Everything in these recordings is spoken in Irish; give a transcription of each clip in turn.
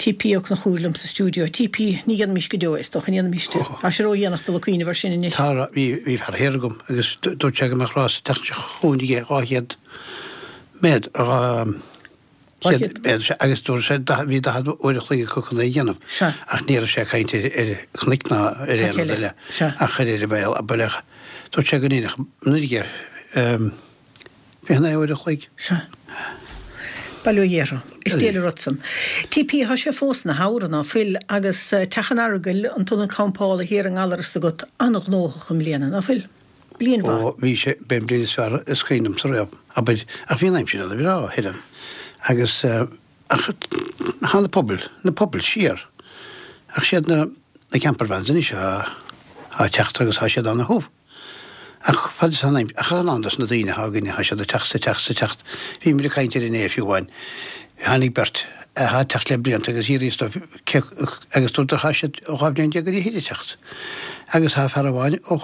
TP Ó Conchúir liom sa stiúideo. TP, Ní dhéanfaimis go deo é, is dócha, an ndéanfaimis? Tá sé ródhéanach dul ag cuimhneamh air sin anois. Tá, bhí, bhí fear thiar agam agus dúirt sé go mbeadh rás an tseachtain seo chugainn aige 200 méadar, 200 méadar, sea, agus dúirt sé bhí 40 uair a chloig acu chun é a dhéanamh. Sea. Ach ní raibh sé ag caint ar, ar chnoic ná ar aon rud eile ach ar ar bhealach, abair, ach dúirt sé go ndéanfadh an uair aige. 29 uair a chloig. Sea. Bail ó Dhia orthu. Is diail an rud san. TP, Tá sé fós ina shamhradh, ná fuil, agus Teach an Earagail, an t-ionad campála thiar i nGallaras agat, an-ghnóthach i mbliana, ná fuil? Bliain mhaith. Ó, bhí sé, b'é an bhliain is fearr is cuimhin liomsa riamh, abair, ach bhí an aimsir ana-bhreá, a Helen, agus, ach thá na pubaill, na pubaill siar, ach siad na, na campervans anois athá ag teacht agus thá siad ana-thiubh. Ach fad is an ach a lán dos na daoine athá againne, thá siad ag teacht 's ag teacht 's ag teacht. Bhí muid ag caint air inné fiú amháin. Tháinig beirt athá ag teacht le blianta agus d'fhiafraíos dóibh cé agus dúradar thá siad 12 bhliain ar fhichid ag teacht. Agus thá fear amháin ó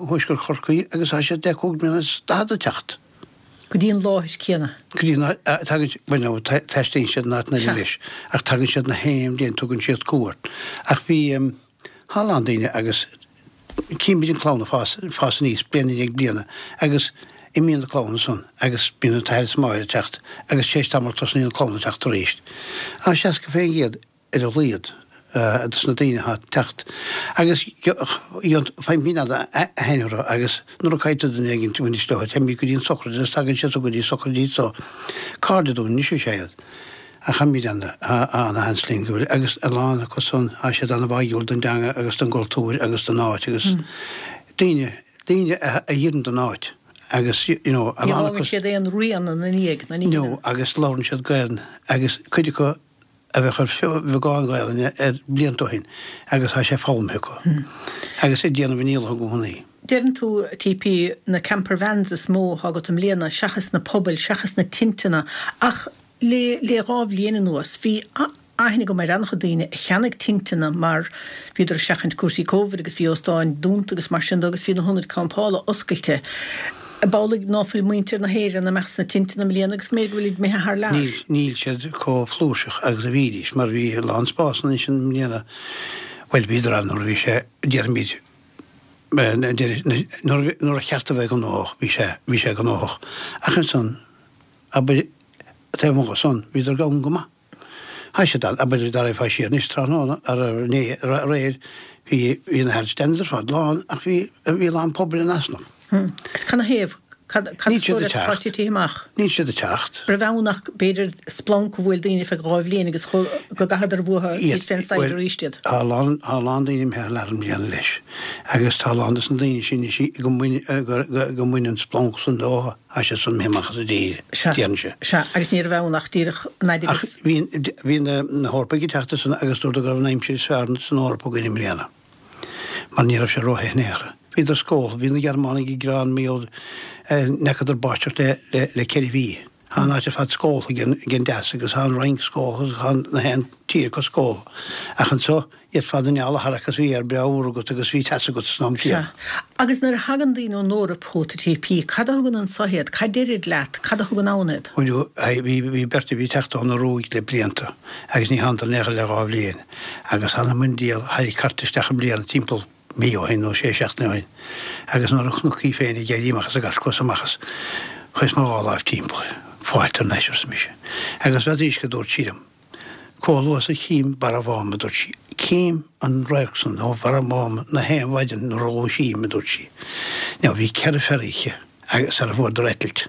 thuaisceart Chorcaí agus thá siad le cúig bliana is daichead ag teacht. Go dtí an láthair céanna. Go dtí an áit, tagann, bhuel no, taistealaíonn siad in áiteanna eile leis, ach tagann siad na haon bhliain, tugann siad cuairt. Ach bhí, thá a lán daoine agus Címid an clann ag fás, fás aníos bliain i ndiaidh bliana agus imíonn na clanna san agus bíonn an t-athair is an máthair ag teacht agus tar éis tamaill tosnaíonn an clann ag teacht arís. Tá 60% ar a laghad dos na daoine atá ag teacht agus faighimid aithne orthu agus nuair a cailltear duine éigin bhainis leo téimid go dtí an sochraid agus tagann siad go dtí sochraidí so cairde dúinn anois is ea iad. Ach táimid ana-sheans linn go bhfuil, agus a lán acu san, tá siad ana-bháúil don dteanga agus don gcultúr agus don áit agus daoine, daoine a oireann don áit agus you know, a lán acu. Ní fhágann siad aon rian ina ndiaidh, ná ní. No, agus labhrann siad Gaelainn agus cuid acu a bheadh ar bheagán Gaelainne ar blianta ó shin agus tá sé foghlamtha acu agus ag déanamh a ndícheall i gcónaí. Deireann tú, TP, na campervans is mó atá agat i mbliana seachas na pubaill, seachas na tinteanna ach Le le 2 bhliain anuas, bhí aithne agam ar an-chuid daoine a cheannaigh tinteanna mar bhíodar ag seachaint cúrsaí Covid agus bhí óstáin dúnta agus mar sin de agus bhí na hionaid campála oscailte. Ab amhlaidh ná fuil muintir na hÉireann imeacht sna tinteanna i mbliana agus b'fhéidir go bhfuilid imithe thar lear? Níl, níl siad chomh flúirseach agus a bhídís mar bhí a lán spásanna ansin i mbliana, bhuel bhíodar ann nuair a bhí sé, déarfaimid, nuair a cheart a bheith gnóthach, bhí sé, bhí sé gnóthach. Ach ansan, Abair, taobh amuigh de san, bhíodar gann go maith. Tha siad ann, abair, dá raghfá siar anois tráthnóna, inné, aréir, bhí, bhí na hardstands ar fad lán ach bhí, bhí a lán pubaill in easnamh. Agus canathaobh? Cad, cad Níl is siad dóigh ag leat atá teacht. titithe amach? Níl siad ag teacht. Raibh ann ach b'fhéidir splanc a bhuail daoine feadh 2 bhliain agus go gcaitheadar uathu thíos fén staighre Bhuel, arís iad. tá a lán, tá a lán daoine imithe thar lear i mbliana leis agus tá a lán dos na daoine sin anois go mbain, go, go, go mbain an splanc san leo. Tá siad san imithe amach as an dtír, déarfainnse. Sea, agus ní raibh ann ach díreach an fhaid agus. Ach bhí, bhí na, na hEorpaigh ag teacht ansan agus dúradar go raibh an aimsir is fearr san Eoraip againn i mbliana, mar ní raibh sé róthe in aon chor. Bhíodar scóltha, bhí na Gearmánaigh ag gearán mar gheall, n'fheacadar báisteach le, le, le ceithre mhí. Tá an áit ar fad scóltha ag an, ag an deas agus tá an Fhrainc scóltha agus tá na haon tír acu scóltha. Ach anso, D'fhéadfá d'inneall a tharrac agus bhí aer breá úr agat agus bhí teas agat san am céanna. Sea. Agus nuair a thagann daoine ón Eoraip chugat, a TP, cad a thugann anso iad? Cad deirid leat? Cad a thugann ann iad? Bhuel, bhí, bhí beirt a bhí ag teacht ón Ioruaidh le blianta agus ní thánadar in aon chor le 2 bhliain agus thánadar i mbun díol, tharraing cairt isteach i mbliana timpeall mí ó shin nó sé seachtaine ó shin agus nuair a chonac í féin ag éirí amach as an gcairt chuas amach as, chuireas mo dhá láimh timpeall, fáilte thar n-ais arsa mise. Agus n'fheadar cad dúirt sí liom. Comh luath is a chím Barra Mháma, a dúirt sí. Cím an radharc san ó Bharra Mháma na haon mhaidin nuair a dhúisím, a dúirt sí. Now bhí 4 ferry aici agus sara fuaireadar eitilt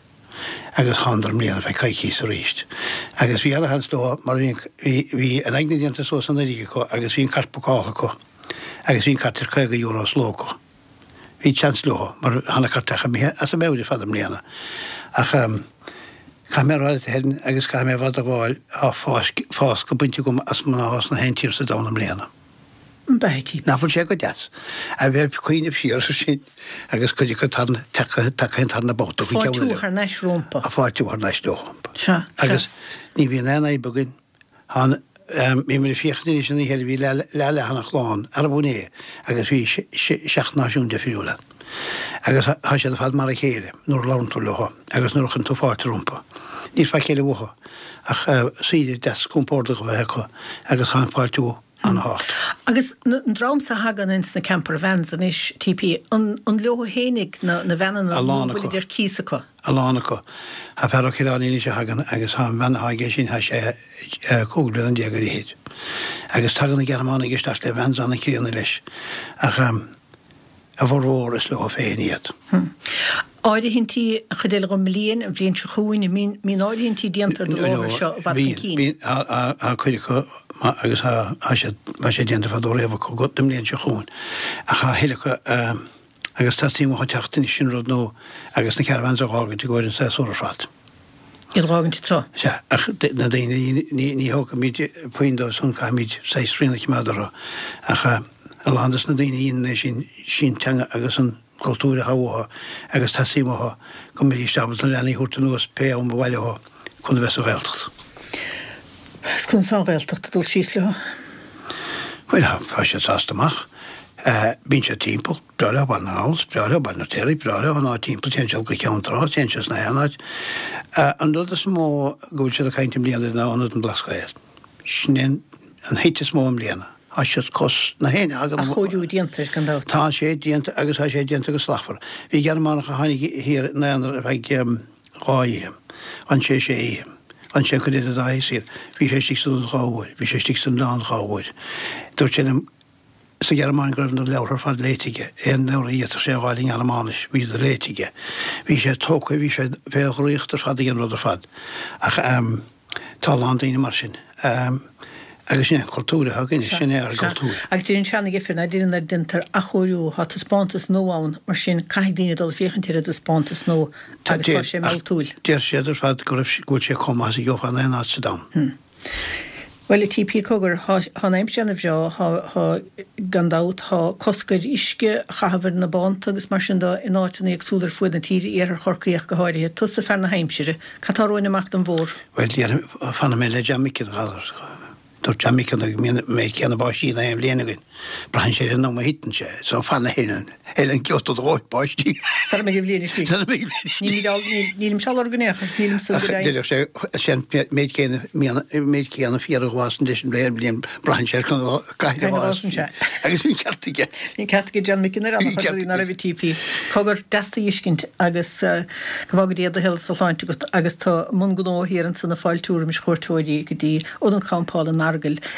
agus thánadar i mbliana feadh coicíos aríst. Agus bhí ana-sheans leo mar bhí an, bhí, bhí an aigne déanta suas an fharraige acu agus bhí an cairt bookáilte acu agus bhí an cairt ar €50 sa ló acu. Bhí seans leo mar thá na cairteacha imithe as a meabhair ar fad i mbliana. Ach caithfidh mé a rá leat a Helen agus caithfidh mé i bhfad a ghabháil, thá fás, fásca bainte agam as mná as na haon tír sa domhan i mbliana. Nach bhfuil sé go deas a bheith ag cuimhneamh siar air sin agus cuid acu tagtha, tagtha an tarna babhta go ceann eile. Fáiltiú thar n-ais rompu. Fáiltiú thar n-ais leo. Sea, sea. Agus ní bhíonn aon fhadhb againn. Thá an, bhí muid ag féachaint anois an oíche eile, bhí leath leathanach lán, arb in é, agus bhí seacht náisiún difriúil ann. Agus tá siad ar fad mar a chéile nuair a labhrann tú leo agus nuair a chuireann tú fáilte rompu. Níl faic eile uathu ach saoire deas compordach a bheith acu agus tá an fáiltiú an-thábhachtach. Agus an dream so a thagann ins na camper vans anois, TP, an an leo fhéinig na na veaineanna A nó lán an acu. bhfuilid ar cíos acu? A lán acu. Tá fear ó Chill Airne anois a thagann agus tá an veain atá aige sin, tá sé 15 bliana ar fhichid. Agus tagann na Gearmánaigh isteach le vans an-chríonna leis. Ach a bhformhór is leo féin iad. Áirithintí, an chuid eile den mbliain, an bhliain seo chugainn, an mbíonn, mbíonn áirithintí déanta ar do láthair seo i bhfad chun cinn? Bíonn, tá cuid acu agus tá siad, tá sé déanta fadó riamh acu don mbliain seo chugainn. Ach tá a thuilleadh acu agus teastaíonn uathu teacht anois sin rud nua agus na caravans a dh'fhágaint i gcomhair an séasúr ar fad. Iad a dh'fhágaint anseo. Sea, ach na daoine, ní thógfaimid puinn dóibh san, caithfimid saghas srian a choimeád orthu. Ach a lán dos na daoine a dhéanann é sin, sin teanga agus an cultúr atá uathu agus teastaíonn uathu go mbeidís ábalta na leanaí a thabhairt anuas pé am ba mhaith leo chun a bheith sa Ghaeltacht. Is conas tá an Ghaeltacht ag dul síos leo? Bhuel, tá siad sásta amach. Bíonn siad timpeall. Breá leo Baile na nGall, is breá leo Baile an Fheirtéaraigh, breá leo an áit timpeall, téann siad go Ceann Trá, téann siad sna haon áit. An rud is mó go bhfuil siad ag caint i mbliana ná Ionad an Bhlascaoid. Sin é an hit is mó i mbliana. Tá siad cos na héinne a thagann. Athchóiriú déanta air gan dabht. Tá sé déanta agus tá sé déanta go slachtmhar. Bhí Gearmánach a tháinig thiar in Eanáir ar feadh dhá oíche. D'fhan sé sé oíche. D'fhan sé an chuid eile dá oíche saor. Bhí sé istigh san ionad dhá uair. Bhí sé istigh san oileán dhá uair. Dúirt sé liom. sa Ghearmáin go raibh na leabhartha ar fad léite aige, aon leabhar a d'fhéadfadh sé a dh'fháil i nGearmáinis, bhí siad léite aige. Bhí sé tógtha, bhí sé fé dhraíocht ar fad ag an rud ar fad. Ach tá a lán daoine mar sin. Agus sin é an cultúr atá againne, sin é ár gcultúr. Agus deir an seana-dheifir, ná deireann nuair a déantar athchóiriú, tá taispeántas nua ann, mar sin caithfidh daoine dul ag féachaint ar an dtaispeántas nua agus tá sé mealltúil. Deir siad ar fad go raibh, go bhfuil sé chomh maith is a gheofá in aon áit sa domhan. Bhuel, a TP, cogar, thá an aimsir ana bhreá, thá, thá, gan dabht, thá cosc ar uisce a chaitheamh ar na bánta agus mar sin de in áiteanna éagsúla ar fuaid na tíre, iarthar Chorcaí ach go háirithe. Tusa fear na haimsire, cad tá romhainn amach don bhfómhar? Bhuel, déarfainn, fanfaidh mé le John Mickey, a ghalar. Dúirt John Mickey go mbíonn an méid céanna báistí in aon bhliain againn. Braitheann sé ar an am a thiteann sé, so fanfaidh ar an giota de dhóthain báistí. Sara mbeidh an bhliain istigh. Sara mbeidh an bhliain istigh. Nílimid á, nílimse á lorg in aon chor, nílimse go deimhin. Ach déarfadh sé, sé an méid céanna, an méid céanna féar a dh'fhásann leis an bhliain, bhliain, braitheann sé ar cathain a dh'fhásann sé. Agus bhí an ceart aige. Bhí an ceart aige John Mickey nuair a rudaí ná raibh ag TP. Cogar, deas tú a fheiscint agus go bhfága Dia do shaol is do shláinte agat agus tú i mbun gnó thiar ansan ag fáiltiú roimis chuairteoirí go dtí Ionad Campála an Earagail.